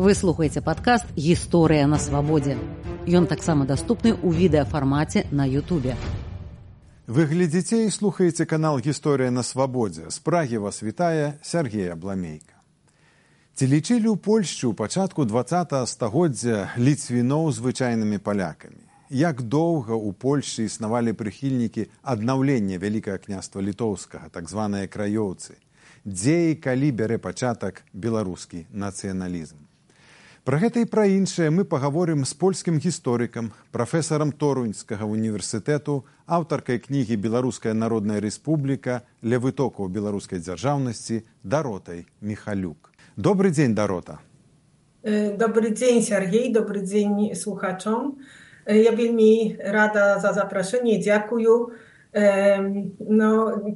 Вы слухаеце падкаст «Гісторыя на свабодзе». Ён таксама даступны ў відэафармаце на Ютубе. Вы глядзіце і слухаеце канал «Гісторыя на свабодзе». З Прагі вас вітае Сергей Абламейка. Ці лічылі ў Польшчы ў пачатку 20 стагоддзя ліцвіноў звычайнымі палякамі? Як доўга ў Польшчы існавалі прыхільнікі аднаўлення Вялікага княства літоўскага, так званыя краёўцы? Дзе і калі бярэ пачатак беларускі нацыяналізм? Пра гэта і пра іншае мы пагаворым з польскім гісторыкам, прафесарам Торуньскага універсітэту, аўтаркай кнігі «Беларуская народная рэспубліка. Ля вытокаў беларускай дзяржаўнасці» Даротай Міхалюк. Добрый дзень, Дарота. Dobry dzień, Sergiej. Dobry dzień słuchaczom. Ja wielmi rada za zaproszenie. Dziękuję.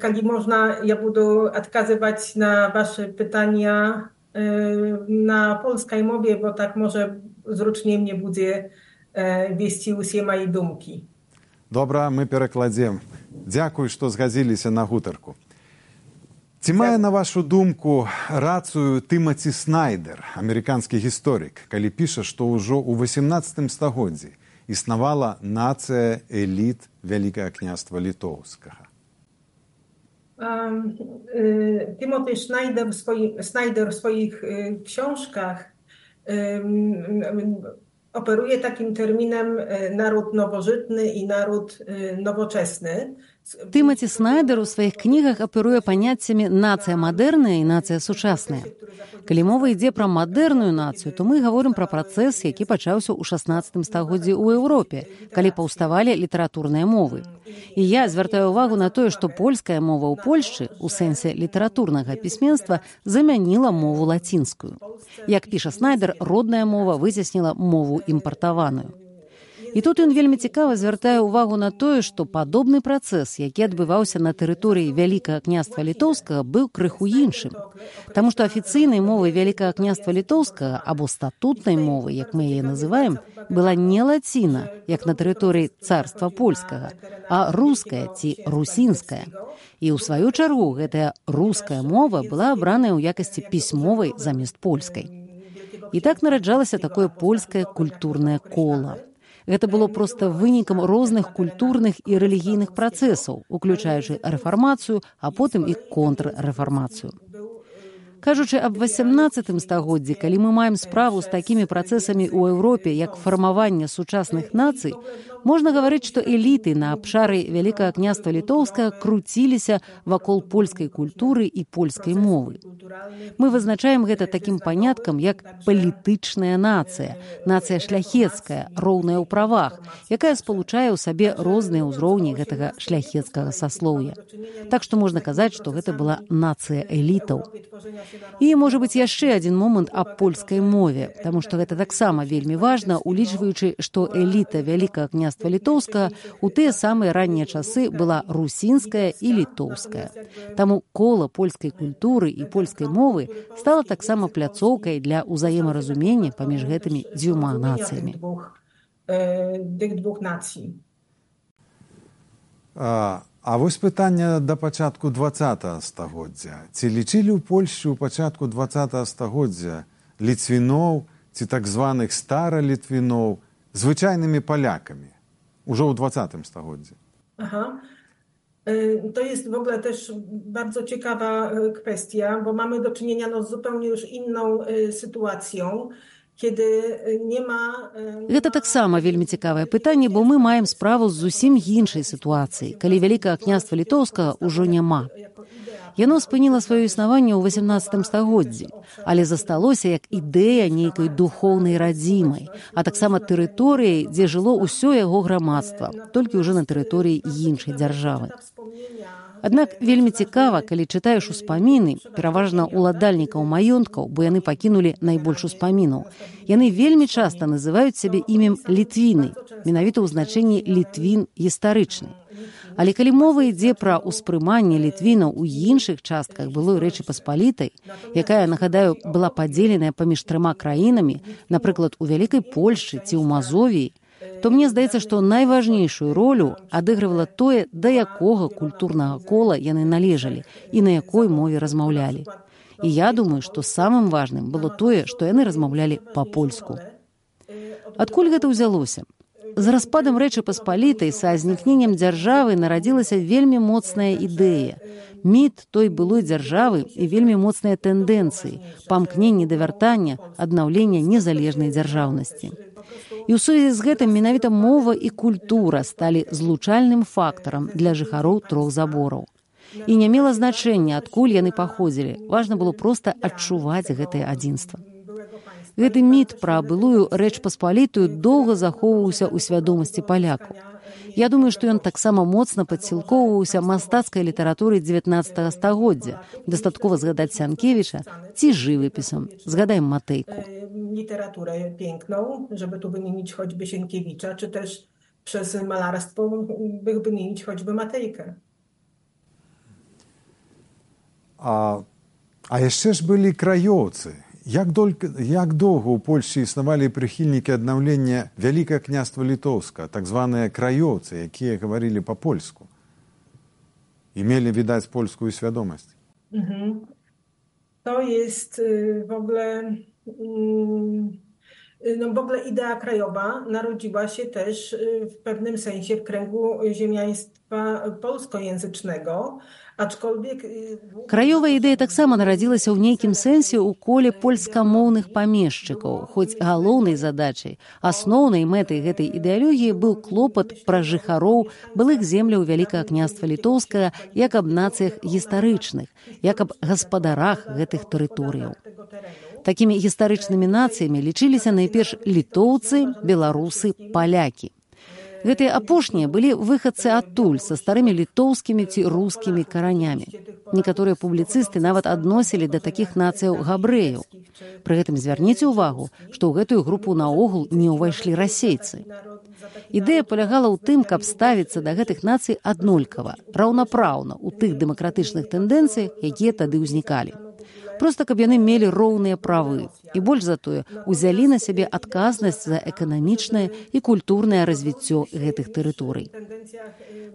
Kali można, ja budu odkazywać na wasze pytania na polskiej mowie, bo tak może zrучniej mnie będzie wieści usie moje думки. Добра, мы перакладзем. Дзякуй, што згадзіліся на гутарку. Ці мае, на вашу думку, рацыю Тымаці Снайдер, амерыканскі гісторык, калі піша, што ўжо ў 18 стагоддзі існавала нацыя эліт Вялікага княства літоўскага? Timothy Snyder w swoich książkach operuje takim terminem naród nowożytny i naród nowoczesny. Тымаці Снайдер у сваіх кнігах аперуе паняццямі «нацыя мадэрная» і «нацыя сучасная». Калі мова ідзе пра мадэрную нацыю, то мы гаворым пра працэс, які пачаўся ў 16 стагоддзі ў Еўропе, калі паўставалі літаратурныя мовы. І я звяртаю ўвагу на тое, што польская мова ў Польшчы, у сэнсе літаратурнага пісьменства, замяніла мову лацінскую. Як піша Снайдер, родная мова выцесніла мову імпартаваную. І тут ён вельмі цікава звяртае ўвагу на тое, што падобны працэс, які адбываўся на тэрыторыі Вялікага княства літоўскага, быў крыху іншым. Таму што афіцыйнай мовай Вялікага княства літоўскага, або статутнай мовай, як мы яе называем, была не лаціна, як на тэрыторыі царства польскага, а руская ці русінская. І ў сваю чаргу гэтая руская мова была абраная ў якасці пісьмовай замест польскай. І так нараджалася такое польскае культурнае кола. Гэта было проста вынікам розных культурных і рэлігійных працэсаў, уключаючы рэфармацыю, а потым і контррэфармацыю. Кажучы аб 18 стагоддзі, калі мы маем справу з такімі працэсамі ў Еўропе, як фармаванне сучасных нацый, можна гаварыць, што эліты на абшары Вялікага княства літоўскага круціліся вакол польскай культуры і польскай мовы. Мы вызначаем гэта такім паняткам, як палітычная нацыя, нацыя шляхецкая, роўная ў правах, якая спалучае ў сабе розныя ўзроўні гэтага шляхецкага саслоўя. Так што можна казаць, што гэта была нацыя элітаў. І, можа быць, яшчэ адзін момант аб польскай мове, таму што гэта таксама вельмі важна, улічваючы, што эліта Вялікага княства літоўскага ў тыя самыя раннія часы была русінская і літоўская. Таму кола польскай культуры і польскай мовы стала таксама пляцоўкай для ўзаемаразумення паміж гэтымі дзвюма нацыямі. А вось пытанне да пачатку 20 стагоддзя. Ці лічылі ў Польшчы ў пачатку 20 стагоддзя ліцвіноў ці так званых старалітвіноў звычайнымі палякамі ўжо ў 20 стагоддзі? To jest w ogóle też bardzo ciekawa kwestia, bo mamy do czynienia z zupełnie już inną sytuacją. Гэта таксама вельмі цікавае пытанне, бо мы маем справу з зусім іншай сітуацыяй, калі Вялікага княства літоўскага ўжо няма. Яно спыніла сваё існаванне ў 18 стагоддзі, але засталося як ідэя нейкай духоўнай радзімай, а таксама тэрыторыяй, дзе жыло ўсё яго грамадства, толькі ўжо на тэрыторыі іншай дзяржавы. Аднак вельмі цікава, калі чытаеш успаміны, пераважна ўладальнікаў маёнткаў, бо яны пакінулі найбольш успамінаў. Яны вельмі часта называюць сябе імем Літвіны, менавіта ў значэнні Літвін гістарычны. Але калі мова ідзе пра ўспрыманне літвінаў у іншых частках былой Рэчы Паспалітай, якая, нагадаю, была падзеленая паміж 3 краінамі, напрыклад, у Вялікай Польшчы ці ў Мазовіі, то мне здаецца, што найважнейшую ролю адыгрывала тое, да якога культурнага кола яны належалі і на якой мове размаўлялі. І я думаю, што самым важным было тое, што яны размаўлялі па-польску. Адкуль гэта ўзялося? З распадам Рэчы Паспалітай, са знікненнем дзяржавы нарадзілася вельмі моцная ідэя. Міт той былой дзяржавы і вельмі моцныя тэндэнцыі, памкненне да вяртання, аднаўлення незалежнай дзяржаўнасці. І ў сувязі з гэтым менавіта мова і культура сталі злучальным фактарам для жыхароў трох забораў. І не мела значэння, адкуль яны паходзілі. Важна было проста адчуваць гэтае адзінства. Гэты міт пра былую Рэч Паспалітую доўга захоўваўся ў свядомасці палякаў. Я думаю, што ён таксама моцна падсілкоўваўся мастацкай літаратурай 19 стагоддзя. Дастаткова згадаць Сянкевіча ці жывапісам. Згадаем Матейку. Literaturę piękną, żeby tu wymienić choćby Sienkiewicza, czy też przez malarstwo by wymienić choćby Matejkę. А яшчэ ж былі краёўцы. Як доўга ў Польшчы існавалі прыхільнікі аднаўлення Вялікае княства Літоўска, так званыя краёўцы, якія гаварылі па-польску і мелі, відаць, польскую свядомасць? To jest w ogóle idea krajowa narodziła się też w pewnym sensie w kręgu ziemiaństwa polskojęzycznego, aczkolwiek... Краёвая ідэя таксама нарадзілася ў нейкім сэнсе ў коле польскамоўных памешчыкаў, хоць галоўнай задачай, асноўнай мэтай гэтай ідэалогіі быў клопат пра жыхароў былых земляў Вялікага княства Літоўскага як аб нацыях гістарычных, як аб гаспадарах гэтых тэрыторыяў. Такімі гістарычнымі нацыямі лічыліся найперш літоўцы, беларусы, палякі. Гэтыя апошнія былі выхадцы адтуль са старымі літоўскімі ці рускімі каранямі. Некаторыя публіцысты нават адносілі да такіх нацыяў габрэяў. Пры гэтым звярніце ўвагу, што ў гэтую групу наогул не ўвайшлі расейцы. Ідэя палягала ў тым, каб ставіцца да гэтых нацый аднолькава, раўнапраўна ў тых дэмакратычных тэндэнцыях, якія тады ўзнікалі. Проста каб яны мелі роўныя правы і больш за тое узялі на сябе адказнасць за эканамічнае і культурнае развіццё гэтых тэрыторый.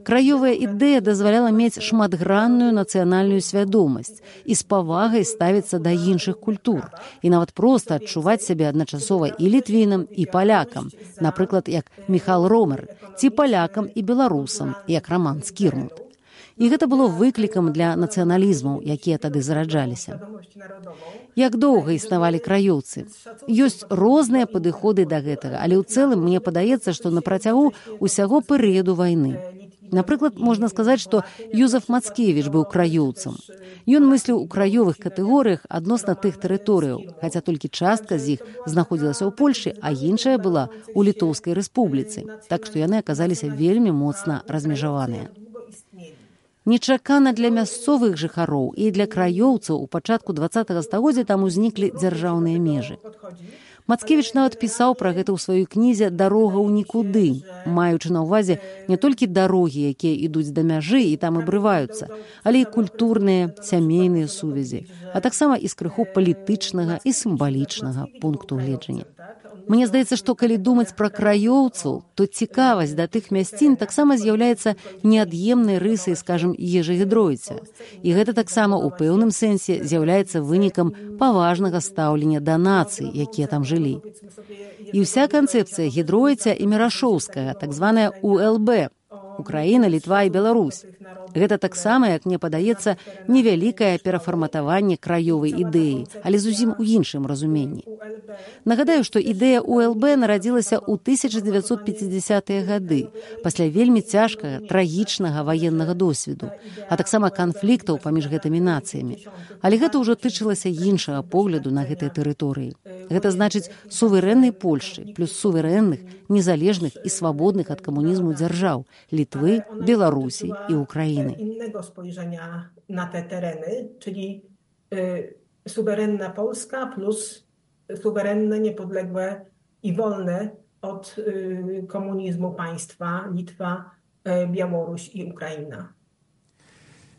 Краёвая ідэя дазваляла мець шматгранную нацыянальную свядомасць і з павагай ставіцца да іншых культур і нават проста адчуваць сябе адначасова і літвінам, і палякам, напрыклад, як Міхал Ромер, ці палякам і беларусам, як Раман Скірмут. І гэта было выклікам для нацыяналізмаў, якія тады зараджаліся. Як доўга існавалі краёўцы? Ёсць розныя падыходы да гэтага, але ў цэлым мне падаецца, што на працягу ўсяго перыяду вайны. Напрыклад, можна сказаць, што Юзеф Мацкевіч быў краёўцам. Ён мысліў у краёвых катэгорыях адносна тых тэрыторыяў, хаця толькі частка з іх знаходзілася ў Польшчы, а іншая была ў Літоўскай рэспубліцы, так што яны аказаліся вельмі моцна размежаваныя. Нечакана для мясцовых жыхароў і для краёўцаў у пачатку 20 стагоддзя там узніклі дзяржаўныя межы. Мацкевіч нават пісаў пра гэта ў сваёй кнізе «Дарога ў нікуды», маючы на ўвазе не толькі дарогі, якія ідуць да мяжы і там абрываюцца, але і культурныя, сямейныя сувязі, а таксама і з крыху палітычнага і сімвалічнага пункту гледжання. Мне здаецца, што калі думаць пра краёўцаў, то цікавасць да тых мясцін таксама з'яўляецца неад'емнай рысай, скажам, ежагідройця. І гэта таксама ў пэўным сэнсе з'яўляецца вынікам паважнага стаўлення да нацый, якія там жылі. І ўся канцэпцыя гідройця і мірашоўскага, так званая УЛБ, Украіна, Літва і Беларусь. Гэта таксама, як мне падаецца, невялікае перафарматаванне краёвай ідэі, але зусім у іншым разуменні. Нагадаю, што ідэя УЛБ нарадзілася ў 1950-е гады, пасля вельмі цяжкага, трагічнага ваеннага досведу, а таксама канфліктаў паміж гэтымі нацыямі. Але гэта ўжо тычылася іншага погляду на гэтыя тэрыторыі. Гэта значыць суверэннай Польшчы плюс суверэнных, незалежных і свабодных ад камунізму дзяржаў Літвы, Беларусі і Украіны. Innego spojrzenia na te tereny, czyli suwerenna Polska plus suwerenne, niepodległe i wolne od komunizmu państwa Litwa, Białoruś i Ukraina.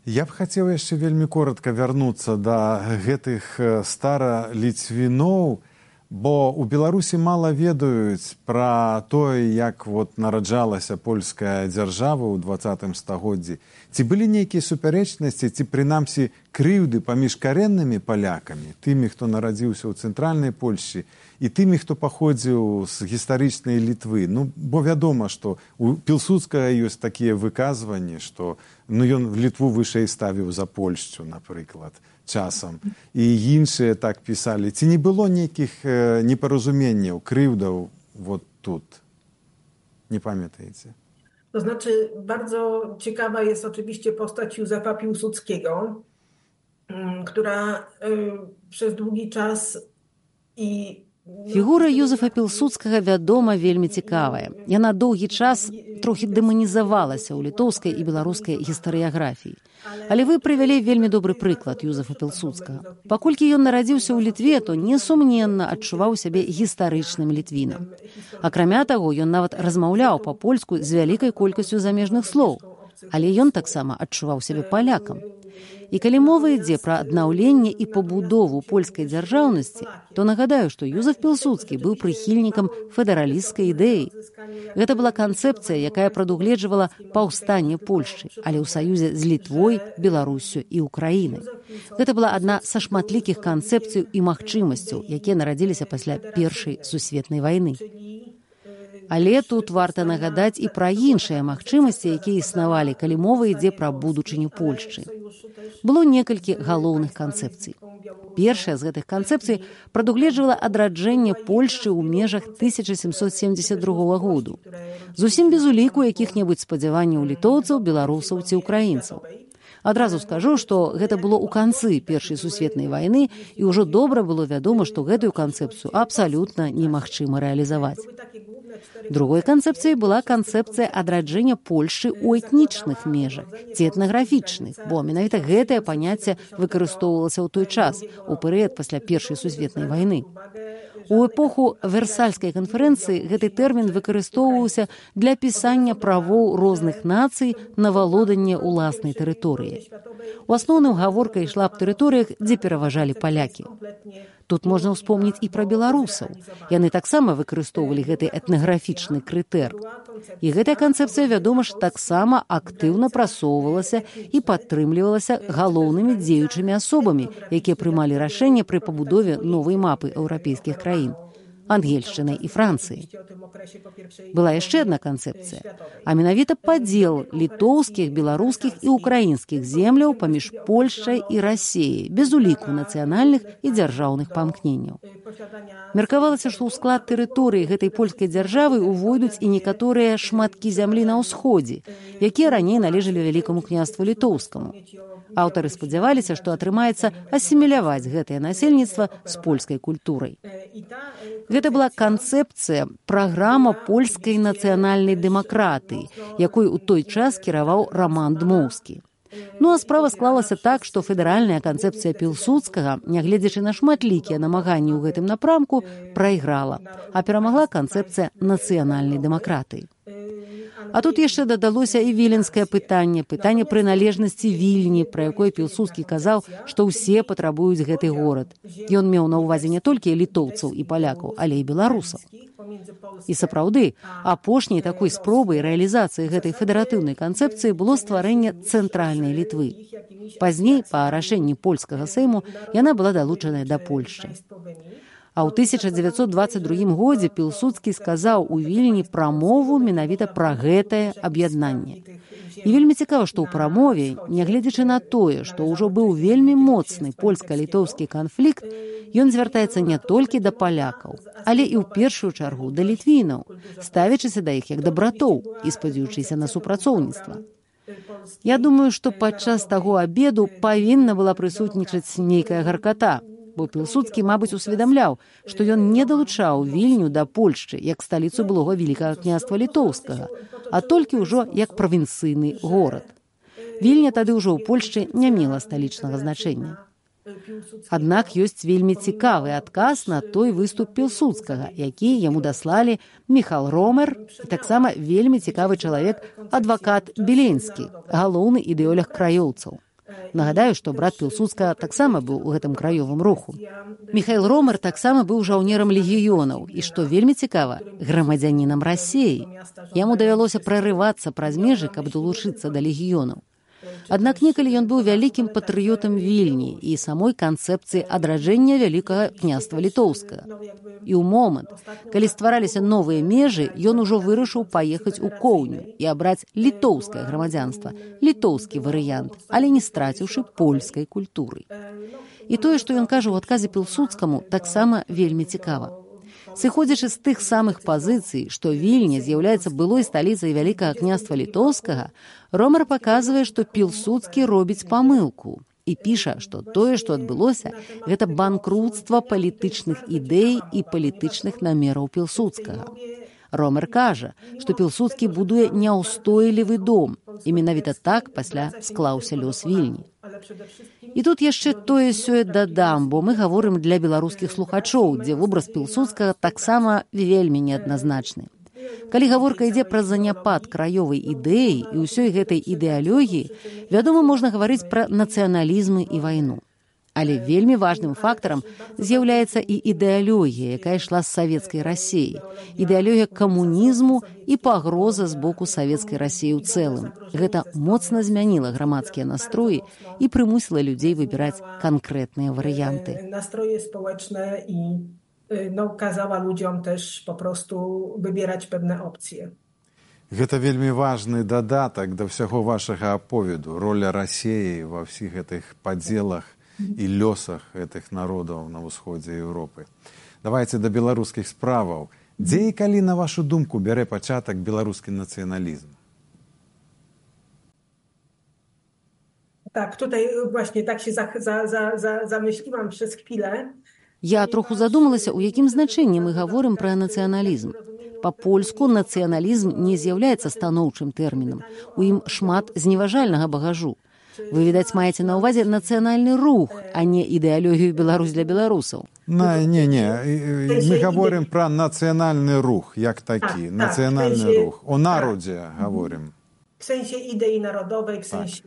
Я б хацеў яшчэ вельмі коротка вярнуцца да гэтых стараліцвіноў, Бо ў Беларусі мала ведаюць пра тое, як нараджалася польская дзяржава ў 20 стагоддзі. Ці былі нейкія супярэчнасці, ці прынамсі крыўды паміж карэннымі палякамі, тымі, хто нарадзіўся ў цэнтральнай Польшчы, і тымі, хто паходзіў з гістарычнай Літвы. Бо вядома, што у Пілсудскага ёсць такія выказванні, што ён Літву вышэй ставіў за Польшчу, напрыклад, часам. І іншыя так пісалі. Ці не было нейкіх непаразуменняў, крыўдаў тут? Nie pamiętajcie. To znaczy, bardzo ciekawa jest oczywiście postać Józefa Piłsudskiego, która przez długi czas Фігура Юзефа Пілсудскага, вядома, вельмі цікавая. Яна доўгі час трохі дэманізавалася ў літоўскай і беларускай гістарыяграфіі. Але вы прывялі вельмі добры прыклад Юзефа Пілсудскага. Паколькі ён нарадзіўся ў Літве, то несумненна адчуваў сябе гістарычным літвінам. Акрамя таго, ён нават размаўляў па-польску з вялікай колькасцю замежных слоў. Але ён таксама адчуваў сябе палякам. І калі мова ідзе пра аднаўленне і пабудову польскай дзяржаўнасці, то нагадаю, што Юзеф Пілсудскі быў прыхільнікам федэралісцкай ідэі. Гэта была канцэпцыя, якая прадугледжвала паўстанне Польшчы, але ў саюзе з Літвой, Беларуссю і Украінай. Гэта была адна са шматлікіх канцэпцый і магчымасцяў, якія нарадзіліся пасля Першай сусветнай вайны. Але тут варта нагадаць і пра іншыя магчымасці, якія існавалі, калі мова ідзе пра будучыню Польшчы. Было некалькі галоўных канцэпцый. Першая з гэтых канцэпцый прадугледжвала адраджэнне Польшчы ў межах 1772 году. Зусім без уліку якіх-небудзь спадзяванняў літоўцаў, беларусаў ці украінцаў. Адразу скажу, што гэта было ў канцы Першай сусветнай вайны, і ўжо добра было вядома, што гэтую канцэпцыю абсалютна немагчыма рэалізаваць. Другой канцэпцыяй была канцэпцыя адраджэння Польшчы ў этнічных межах, ці этнаграфічных, бо менавіта гэтае паняцце выкарыстоўвалася ў той час, у перыяд пасля Першай сусветнай вайны. У эпоху Версальскай канферэнцыі гэты тэрмін выкарыстоўваўся для пісання правоў розных нацый на валоданне ўласнай тэрыторыі. У асноўным гаворка ішла аб тэрыторыях, дзе пераважалі палякі. Тут можна ўспомніць і пра беларусаў. Яны таксама выкарыстоўвалі гэты этнаграфічны крытэр. І гэтая канцэпцыя, вядома ж, таксама актыўна прасоўвалася і падтрымлівалася галоўнымі дзеючымі асобамі, якія прымалі рашэнне пры пабудове новай мапы еўрапейскіх краін – Ангельшчыны і Францыі. Была яшчэ адна канцэпцыя, а менавіта падзел літоўскіх, беларускіх і украінскіх земляў паміж Польшчай і Расіяй, без уліку нацыянальных і дзяржаўных памкненняў. Меркавалася, што ў склад тэрыторыі гэтай польскай дзяржавы увойдуць і некаторыя шматкі зямлі на ўсходзе, якія раней належалі вялікаму княству літоўскаму. Аўтары спадзяваліся, што атрымаецца асіміляваць гэтае насельніцтва з польскай культурай. Гэта была канцэпцыя, праграма польскай нацыянальнай дэмакратыі, якой у той час кіраваў Раман Дмоўскі. А справа склалася так, што федэральная канцэпцыя Пілсудскага, нягледзячы на шматлікія намаганні ў гэтым напрамку, прайграла, а перамагла канцэпцыя нацыянальнай дэмакратыі. А тут яшчэ дадалося і віленскае пытанне прыналежнасці Вільні, пра якое Пілсудскі казаў, што ўсе патрабуюць гэты горад. Ён меў на ўвазе не толькі літоўцаў і палякаў, але і беларусаў. І сапраўды, апошняй такой спробай рэалізацыі гэтай федэратыўнай канцэпцыі было стварэнне цэнтральнай Літвы. Пазней, па рашэнні польскага сейму, яна была далучаная да Польшчы. А ў 1922 годзе Пілсудскі сказаў у Вільні прамову менавіта пра гэтае аб'яднанне. І вельмі цікава, што ў прамове, нягледзячы на тое, што ўжо быў вельмі моцны польска-літоўскі канфлікт, ён звяртаецца не толькі да палякаў, але і ў першую чаргу да літвінаў, ставячыся да іх як да братоў і спадзяючыся на супрацоўніцтва. Я думаю, што падчас таго абеду павінна была прысутнічаць нейкая гарката, бо Пілсудскі, мабыць, усведамляў, што ён не далучаў Вільню да Польшчы як сталіцу былога Вялікага княства Літоўскага, а толькі ўжо як правінцыйны горад. Вільня тады ўжо ў Польшчы не мела сталічнага значэння. Аднак ёсць вельмі цікавы адказ на той выступ Пілсудскага, які яму даслалі Міхал Ромер і таксама вельмі цікавы чалавек, адвакат Беленскі, галоўны ідэолог краёўцаў. Нагадаю, што брат Пілсудскага таксама быў у гэтым краёвым руху. Міхаіл Ромар таксама быў жаўнерам легіёнаў і, што вельмі цікава, грамадзянінам Расіі. Яму давялося прарывацца праз межы, каб далучыцца да легіёнаў. Аднак некалі ён быў вялікім патрыётам Вільні і самой канцэпцыі адраджэння вялікага княства літоўскага. І ў момант, калі ствараліся новыя межы, ён ужо вырашыў паехаць у Коўню і абраць літоўскае грамадзянства, літоўскі варыянт, але не страціўшы польскай культуры. І тое, што ён кажа ў адказе Пілсудскаму, таксама вельмі цікава. Сыходзячы з тых самых пазіцый, што Вільня з'яўляецца былой сталіцай вялікага княства літоўскага, Ромар паказвае, што Пілсудскі робіць памылку і піша, што тое, што адбылося, гэта банкруцтва палітычных ідэй і палітычных намераў Пілсудскага. Ромар кажа, што Пілсудскі будуе няўстойлівы дом, і менавіта так пасля склаўся лёс Вільні. І тут яшчэ тое-сёе дадам, бо мы гаворым для беларускіх слухачоў, дзе вобраз Пілсудскага таксама вельмі неадназначны. Калі гаворка ідзе пра заняпад краёвай ідэі і ўсёй гэтай ідэалогіі, вядома, можна гаварыць пра нацыяналізмы і вайну. Але вельмі важным фактарам з'яўляецца і ідэалогія, якая ішла з савецкай Расіі, ідэалогія камунізму і пагроза з боку савецкай Расіі ў цэлым. Гэта моцна змяніла грамадскія настроі і прымусіла людзей выбіраць канкрэтныя варыянты. Настроje społeczne i kazała ludziom też po prostu wybierać pewne opcje. Гэта вельмі важны дадатак да ўсяго вашага аповеду, роля Расіі ва ўсіх гэтых падзелах і лёсах гэтых народаў на ўсходзе Еўропы. Давайце да беларускіх справаў. Дзе і калі, на вашу думку, бярэ пачатак беларускі нацыяналізм? Tak, tutaj właśnie tak się zamyśliłam przez chwilę. Я троху задумалася, у якім значэнні мы гаворым пра нацыяналізм. Па-польску нацыяналізм не з'яўляецца станоўчым тэрмінам. У ім шмат зневажальнага багажу. Вы, відаць, маеце на ўвазе нацыянальны рух, а не ідэалогію Беларусь для беларусаў. Не. Мы гаворым пра нацыянальны рух, як такі. Нацыянальны рух. О народзе гаворым. W sensie idei narodowej, w sensie...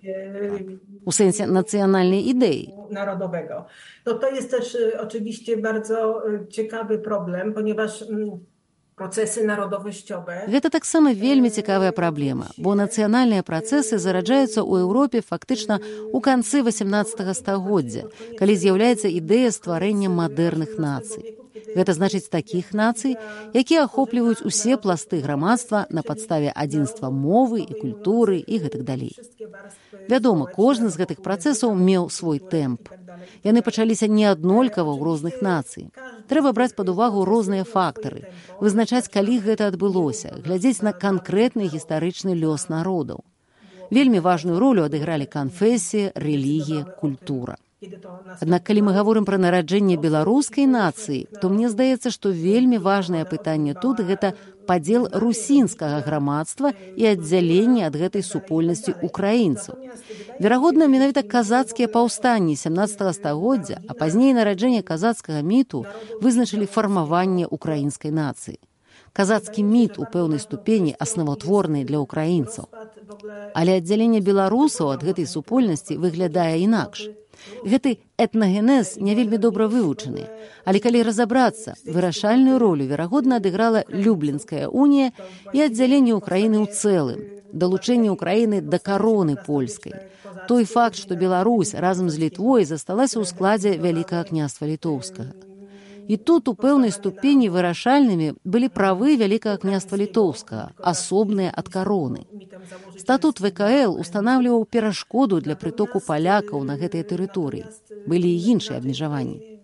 U sensie nacjonalnej idei. Narodowego. No to jest też oczywiście bardzo ciekawy problem, ponieważ procesy narodowościowe... Гэта таксама вельмі цікавая праблема, бо нацыянальныя працэсы зараджаюцца ў Еўропе фактычна ў канцы 18 стагоддзя, калі з'яўляецца ідэя стварэння мадэрных нацый. Гэта значыць такіх нацый, якія ахопліваюць усе пласты грамадства на падставе адзінства мовы і культуры і гэтак далей. Вядома, кожны з гэтых працэсаў меў свой тэмп. Яны пачаліся неаднолькава ў розных нацый. Трэба браць пад увагу розныя фактары, вызначаць, калі гэта адбылося, глядзець на канкрэтны гістарычны лёс народаў. Вельмі важную ролю адыгралі канфесія, рэлігія, культура. Аднак, калі мы гаворым пра нараджэнне беларускай нацыі, то мне здаецца, што вельмі важнае пытанне тут гэта падзел русінскага грамадства і аддзяленне ад гэтай супольнасці украінцаў. Верагодна, менавіта казацкія паўстанні 17 стагоддзя, а пазней нараджэнне казацкага міту вызначылі фармаванне украінскай нацыі. Казацкі міт у пэўнай ступені асноватворны для украінцаў. Але аддзяленне беларусаў ад гэтай супольнасці выглядае інакш. Гэты этнагенез не вельмі добра вывучаны, але калі разабрацца, вырашальную ролю, верагодна, адыграла Люблінская унія і аддзяленне Украіны ў цэлым, далучэнне Украіны да кароны польскай. Той факт, што Беларусь разам з Літвой засталася ў складзе Вялікага княства літоўскага. І тут у пэўнай ступені вырашальнымі былі правы Вялікага княства літоўскага, асобныя ад кароны. Статут ВКЛ устанавліваў перашкоду для прытоку палякаў на гэтыя тэрыторыі. Былі і іншыя абмежаванні.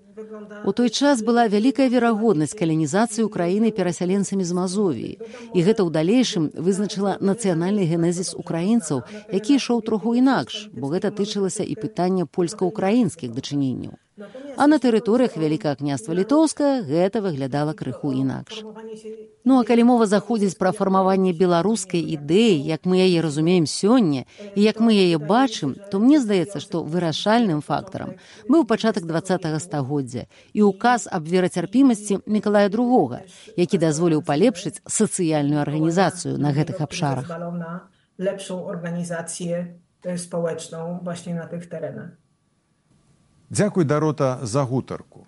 У той час была вялікая верагоднасць каланізацыі Украіны перасяленцамі з Мазовіі, і гэта ў далейшым вызначыла нацыянальны генезіс украінцаў, які ішоў троху інакш, бо гэта тычылася і пытання польска-украінскіх дачыненняў. А на тэрыторыях Вялікага княства літоўскага гэта выглядала крыху інакш. Ну а калі мова заходзіць пра фармаванне беларускай ідэі, як мы яе разумеем сёння і як мы яе бачым, то мне здаецца, што вырашальным фактарам быў пачатак 20-го стагоддзя і указ аб верацярпімасці Мікалая II, які дазволіў палепшыць сацыяльную арганізацыю на гэтых абшарах. Lepszą organizację społeczną właśnie na tych terenach. Дзякуй, Дарота, за гутарку.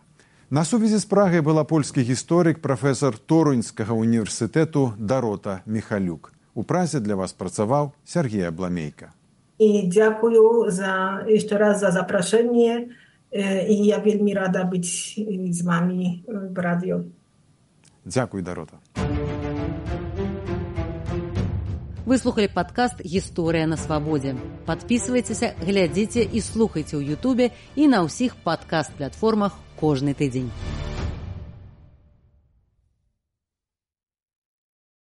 На сувязі з Прагай была польскі гісторык, прафесор Торуньскага універсітэту Дарота Міхалюк. У Празе для вас працаваў Сергей Абламейка. I dziękuję jeszcze raz za zaproszenie i ja wielmi rada być z wami w radio. Дзякуй, Дарота. Вы слухали падкаст «Гісторыя на свабодзе». Падпісвайцеся, глядзіце і слухайце ў Ютубе і на ўсіх падкаст-платформах кожны тыдзень.